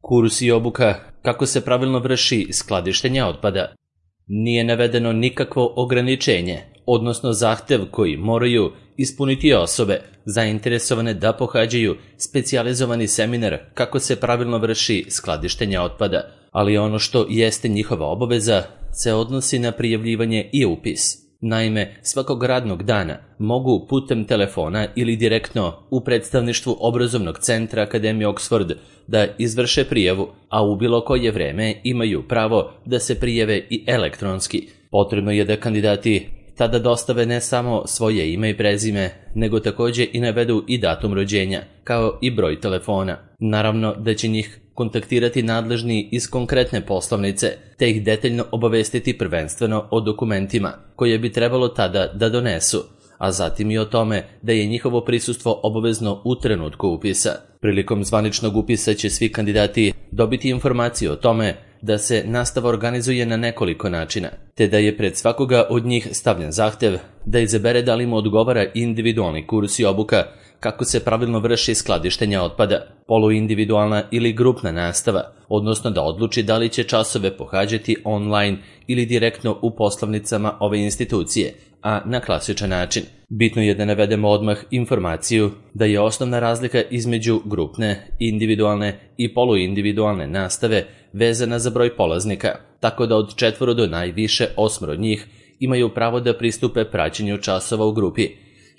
Kurs i obuka kako se pravilno vrši skladištenje otpada. Nije navedeno nikakvo ograničenje, odnosno zahtev koji moraju ispuniti osobe zainteresovane da pohađaju specijalizovani seminar kako se pravilno vrši skladištenje otpada, ali ono što jeste njihova obaveza se odnosi na prijavljivanje i upis. Naime, svakog radnog dana mogu putem telefona ili direktno u predstavništvu obrazovnog centra Akademije Oxford da izvrše prijavu, a u bilo koje vreme imaju pravo da se prijave i elektronski. Potrebno je da kandidati tada dostave ne samo svoje ime i prezime, nego također i navedu i datum rođenja, kao i broj telefona. Naravno da će njih kontaktirati nadležni iz konkretne poslovnice, te ih detaljno obavestiti prvenstveno o dokumentima koje bi trebalo tada da donesu, a zatim i o tome da je njihovo prisustvo obavezno u trenutku upisa. Prilikom zvaničnog upisa će svi kandidati dobiti informaciju o tome da se nastava organizuje na nekoliko načina, te da je pred svakoga od njih stavljen zahtev da izabere da li mu odgovara individualni kurs i obuka kako se pravilno vrši skladištenje otpada, poluindividualna ili grupna nastava, odnosno da odluči da li će časove pohađati online ili direktno u poslovnicama ove institucije, a na klasičan način. Bitno je da navedemo odmah informaciju da je osnovna razlika između grupne, individualne i poluindividualne nastave vezana za broj polaznika, tako da od 4 do najviše 8 od njih imaju pravo da pristupe praćenju časova u grupi,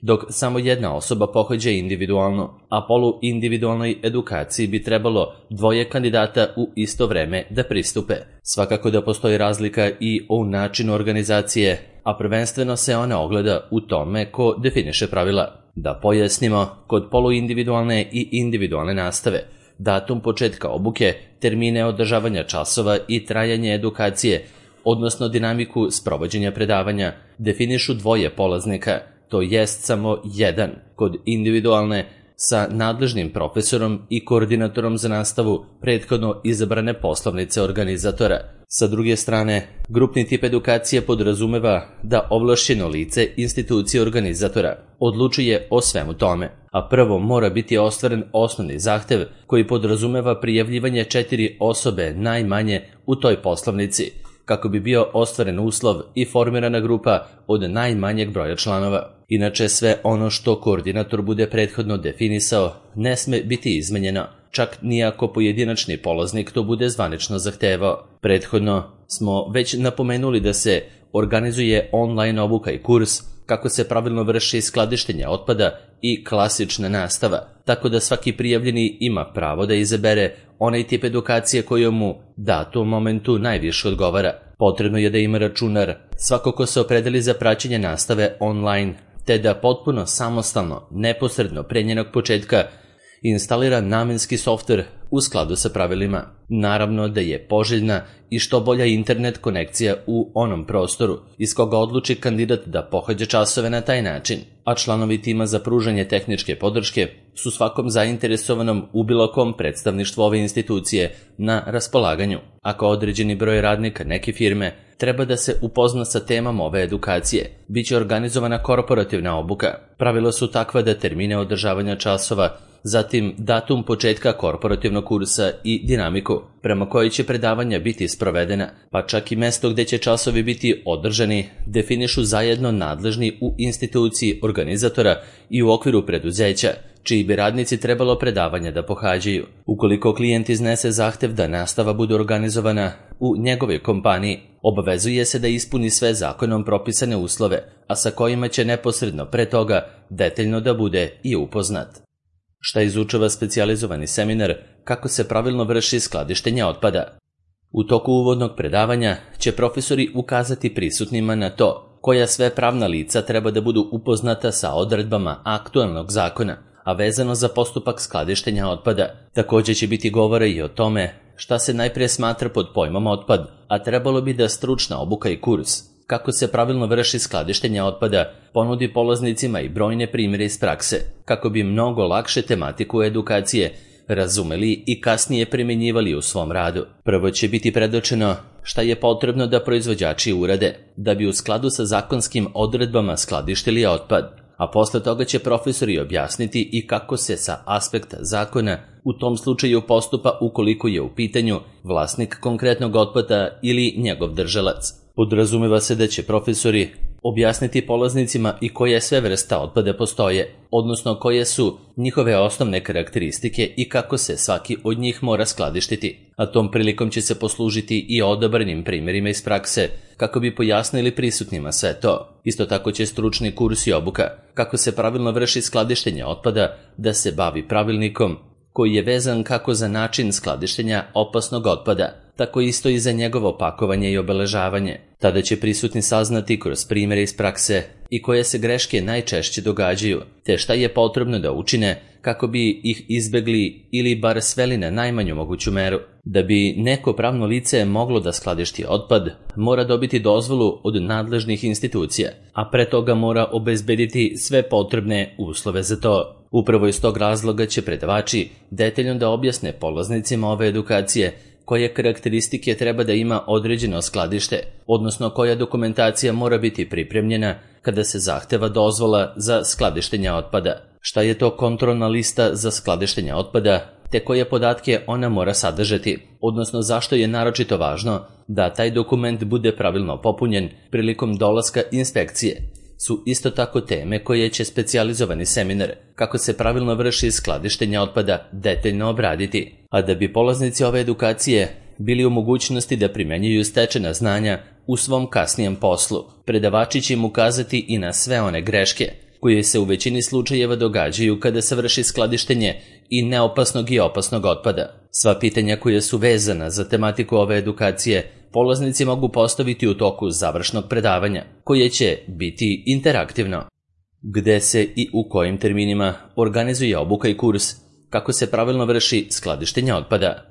dok samo jedna osoba pohađa individualno, a poluindividualnoj edukaciji bi trebalo 2 kandidata u isto vreme da pristupe. Svakako da postoji razlika i u načinu organizacije, a prvenstveno se ona ogleda u tome ko definiše pravila. Da pojasnimo, kod poluindividualne i individualne nastave, datum početka obuke, termine održavanja časova i trajanje edukacije, odnosno dinamiku sprovođenja predavanja, definišu 2 polaznika, to jest samo jedan, kod individualne sa nadležnim profesorom i koordinatorom za nastavu prethodno izabrane poslovnice organizatora. Sa druge strane, grupni tip edukacije podrazumeva da ovlašćeno lice institucije organizatora odlučuje o svemu tome, a prvo mora biti ostvaren osnovni zahtev koji podrazumeva prijavljivanje 4 osobe najmanje u toj poslovnici, kako bi bio ostvaren uslov i formirana grupa od najmanjeg broja članova. Inače, sve ono što koordinator bude prethodno definisao ne sme biti izmenjeno, čak nijako pojedinačni polaznik to bude zvanično zahtevao. Prethodno smo već napomenuli da se organizuje online obuka i kurs kako se pravilno vrši skladištenje otpada i klasična nastava, tako da svaki prijavljeni ima pravo da izabere onaj tip edukacije koji mu datom momentu najviše odgovara. Potrebno je da ima računar svako ko se opredeli za praćenje nastave online, te da potpuno samostalno, neposredno pre njenog početka instalira namenski softver u skladu sa pravilima. Naravno da je poželjna i što bolja internet konekcija u onom prostoru iz koga odluči kandidat da pohađa časove na taj način, a članovi tima za pružanje tehničke podrške su svakom zainteresovanom u bilo kom predstavništvu ove institucije na raspolaganju. Ako određeni broj radnika neke firme treba da se upozna sa temama ove edukacije, bit će organizovana korporativna obuka. Pravila su takva da termine održavanja časova, zatim datum početka korporativnog kursa i dinamiku prema kojoj će predavanja biti sprovedena, pa čak i mesto gde će časovi biti održani, definišu zajedno nadležni u instituciji organizatora i u okviru preduzeća, čiji bi radnici trebalo predavanja da pohađaju. Ukoliko klijent iznese zahtev da nastava bude organizovana u njegovoj kompaniji, obavezuje se da ispuni sve zakonom propisane uslove, a sa kojima će neposredno pre toga detaljno da bude i upoznat. Šta izučava specijalizovani seminar kako se pravilno vrši skladištenje otpada? U toku uvodnog predavanja će profesori ukazati prisutnima na to koja sve pravna lica treba da budu upoznata sa odredbama aktualnog zakona, a vezano za postupak skladištenja otpada. Također će biti govora i o tome šta se najprije smatra pod pojmom otpad, a trebalo bi da stručna obuka i kurs kako se pravilno vrši skladištenje otpada ponudi polaznicima i brojne primjere iz prakse, kako bi mnogo lakše tematiku edukacije razumeli i kasnije primjenjivali u svom radu. Prvo će biti predočeno šta je potrebno da proizvođači urade da bi u skladu sa zakonskim odredbama skladištili otpad, a posle toga će profesori objasniti i kako se sa aspekta zakona u tom slučaju postupa ukoliko je u pitanju vlasnik konkretnog otpada ili njegov držalac. Podrazumeva se da će profesori objasniti polaznicima i koje sve vrsta otpada postoje, odnosno koje su njihove osnovne karakteristike i kako se svaki od njih mora skladištiti, a tom prilikom će se poslužiti i odabranim primjerima iz prakse kako bi pojasnili prisutnima sve to. Isto tako će stručni kurs i obuka kako se pravilno vrši skladištenje otpada da se bavi pravilnikom koji je vezan kako za način skladištenja opasnog otpada, tako isto i za njegovo pakovanje i obeležavanje. Tada će prisutni saznati kroz primjere iz prakse i koje se greške najčešće događaju, te šta je potrebno da učine kako bi ih izbegli ili bar sveli na najmanju moguću meru. Da bi neko pravno lice moglo da skladišti otpad, mora dobiti dozvolu od nadležnih institucija, a pre toga mora obezbediti sve potrebne uslove za to. Upravo iz tog razloga će predavači detaljno da objasne polaznicima ove edukacije koje karakteristike treba da ima određeno skladište, odnosno koja dokumentacija mora biti pripremljena kada se zahteva dozvola za skladištenje otpada, šta je to kontrolna lista za skladištenje otpada, te koje podatke ona mora sadržati, odnosno zašto je naročito važno da taj dokument bude pravilno popunjen prilikom dolaska inspekcije, su isto tako teme koje će specijalizovani seminar kako se pravilno vrši skladištenje otpada detaljno obraditi, a da bi polaznici ove edukacije bili u mogućnosti da primenjuju stečena znanja u svom kasnijem poslu. Predavači će im ukazati i na sve one greške koje se u većini slučajeva događaju kada se vrši skladištenje i neopasnog i opasnog otpada. Sva pitanja koja su vezana za tematiku ove edukacije polaznici mogu postaviti u toku završnog predavanja, koje će biti interaktivno. Gde se i u kojim terminima organizuje obuka i kurs, kako se pravilno vrši skladištenje otpada.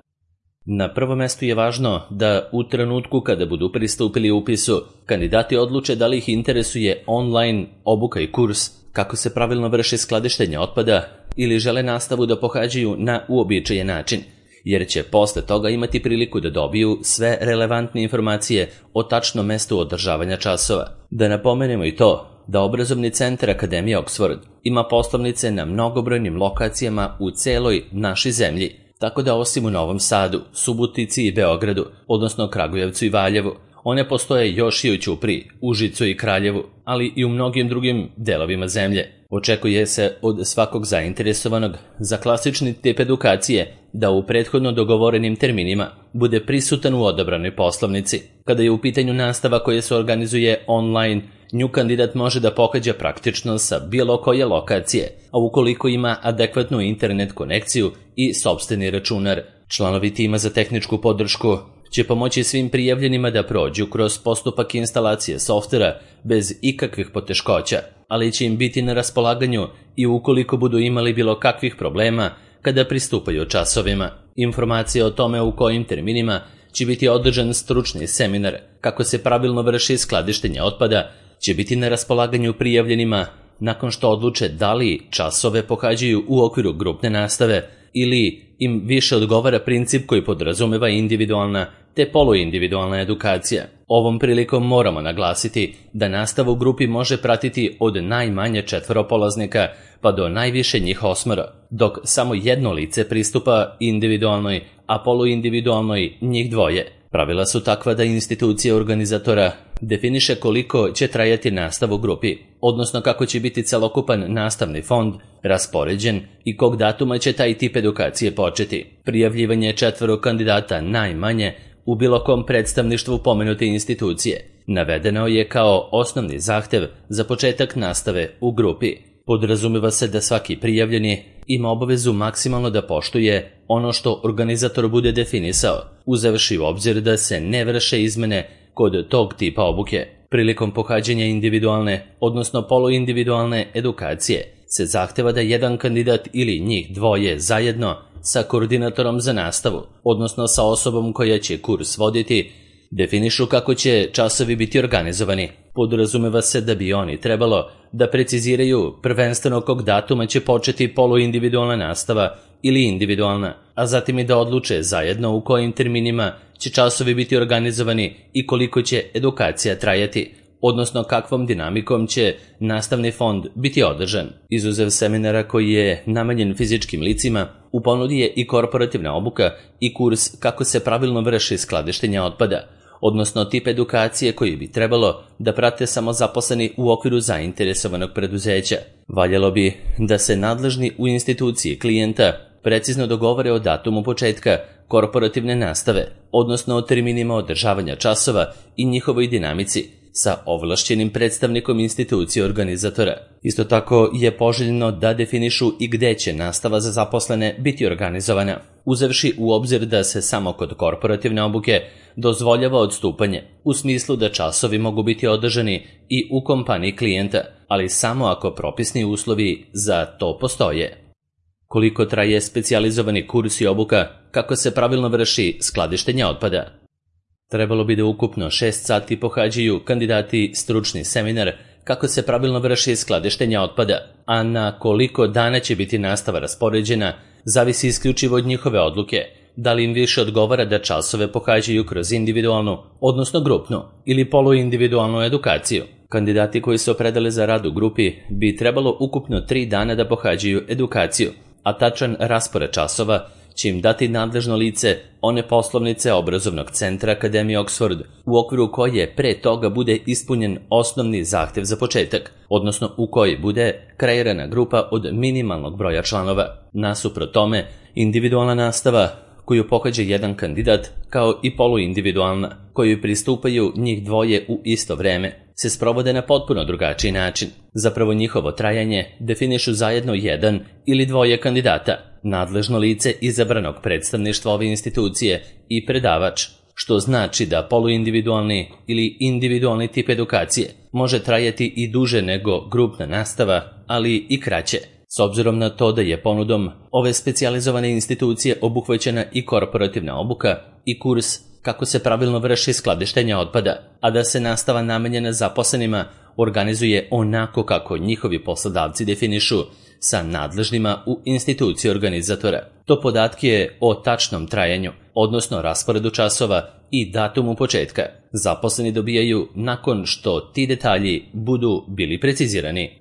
Na prvom mestu je važno da u trenutku kada budu pristupili upisu, kandidati odluče da li ih interesuje online obuka i kurs, kako se pravilno vrši skladištenje otpada, ili žele nastavu da pohađaju na uobičajen način, jer će posle toga imati priliku da dobiju sve relevantne informacije o tačnom mestu održavanja časova. Da napomenemo i to da obrazovni centar Akademije Oxford ima poslovnice na mnogobrojnim lokacijama u celoj našoj zemlji, tako da osim u Novom Sadu, Subotici i Beogradu, odnosno Kragujevcu i Valjevu, one postoje još i u Ćupriji, Užicu i Kraljevu, ali i u mnogim drugim delovima zemlje. Očekuje se od svakog zainteresovanog za klasični tip edukacije da u prethodno dogovorenim terminima bude prisutan u odabranoj poslovnici. Kada je u pitanju nastava koja se organizuje online, nju kandidat može da pohađa praktično sa bilo koje lokacije, a ukoliko ima adekvatnu internet konekciju i sopstveni računar. Članovi tima za tehničku podršku će pomoći svim prijavljenima da prođu kroz postupak instalacije softvera bez ikakvih poteškoća, ali će im biti na raspolaganju i ukoliko budu imali bilo kakvih problema kada pristupaju časovima. Informacije o tome u kojim terminima će biti održan stručni seminar kako se pravilno vrši skladištenje otpada će biti na raspolaganju prijavljenima nakon što odluče da li časove pohađaju u okviru grupne nastave ili im više odgovara princip koji podrazumeva individualna te poluindividualna edukacija. Ovom prilikom moramo naglasiti da nastavu u grupi može pratiti od najmanje 4 polaznika pa do najviše njih 8, dok samo jedno lice pristupa individualnoj, a poluindividualnoj njih 2. Pravila su takva da institucija organizatora definiše koliko će trajati nastava u grupi, odnosno kako će biti celokupan nastavni fond raspoređen i kog datuma će taj tip edukacije početi. Prijavljivanje 4 kandidata najmanje u bilo kom predstavništvu pomenute institucije navedeno je kao osnovni zahtev za početak nastave u grupi. Podrazumeva se da svaki prijavljeni ima obavezu maksimalno da poštuje ono što organizator bude definisao, uzevši u obzir da se ne vrše izmene kod tog tipa obuke. Prilikom pohađanja individualne, odnosno poluindividualne edukacije se zahteva da jedan kandidat ili njih 2 zajedno sa koordinatorom za nastavu, odnosno sa osobom koja će kurs voditi, definišu kako će časovi biti organizovani. Podrazumeva se da bi oni trebalo da preciziraju prvenstveno kog datuma će početi poluindividualna nastava ili individualna, a zatim i da odluče zajedno u kojim terminima će časovi biti organizovani i koliko će edukacija trajati, odnosno kakvom dinamikom će nastavni fond biti održan. Izuzev seminara koji je namenjen fizičkim licima, u ponudi je i korporativna obuka i kurs kako se pravilno vrši skladištenje otpada, odnosno tip edukacije koji bi trebalo da prate samozaposleni u okviru zainteresovanog preduzeća. Valjalo bi da se nadležni u instituciji klijenta precizno dogovore o datumu početka korporativne nastave, odnosno o terminima održavanja časova i njihovoj dinamici sa ovlašćenim predstavnikom institucije organizatora. Isto tako je poželjno da definišu i gde će nastava za zaposlene biti organizovana, uzevši u obzir da se samo kod korporativne obuke dozvoljava odstupanje, u smislu da časovi mogu biti održani i u kompaniji klijenta, ali samo ako propisni uslovi za to postoje. Koliko traje specijalizovani kurs i obuka kako se pravilno vrši skladištenje otpada? Trebalo bi da ukupno 6 sati pohađaju kandidati stručni seminar kako se pravilno vrši skladištenje otpada, a na koliko dana će biti nastava raspoređena zavisi isključivo od njihove odluke, da li im više odgovara da časove pohađaju kroz individualnu, odnosno grupnu ili poluindividualnu edukaciju. Kandidati koji se opredele za rad u grupi bi trebalo ukupno 3 dana da pohađaju edukaciju, a tačan raspored časova će im dati nadležno lice one poslovnice obrazovnog centra Akademije Oxford, u okviru koje pre toga bude ispunjen osnovni zahtev za početak, odnosno u kojoj bude kreirana grupa od minimalnog broja članova. Nasuprot tome, individualna nastava koju pohađa jedan kandidat, kao i poluindividualna, koju pristupaju njih dvoje u isto vreme, se sprovode na potpuno drugačiji način. Zapravo njihovo trajanje definišu zajedno jedan ili dvoje kandidata, nadležno lice izabranog predstavništva ove institucije i predavač, što znači da poluindividualni ili individualni tip edukacije može trajati i duže nego grupna nastava, ali i kraće. S obzirom na to da je ponudom ove specijalizovane institucije obuhvaćena i korporativna obuka i kurs kako se pravilno vrši skladištenje otpada, a da se nastava namenjena zaposlenima organizuje onako kako njihovi poslodavci definišu sa nadležnima u instituciji organizatora. To podatke o tačnom trajanju, odnosno rasporedu časova i datumu početka, zaposleni dobijaju nakon što ti detalji budu bili precizirani.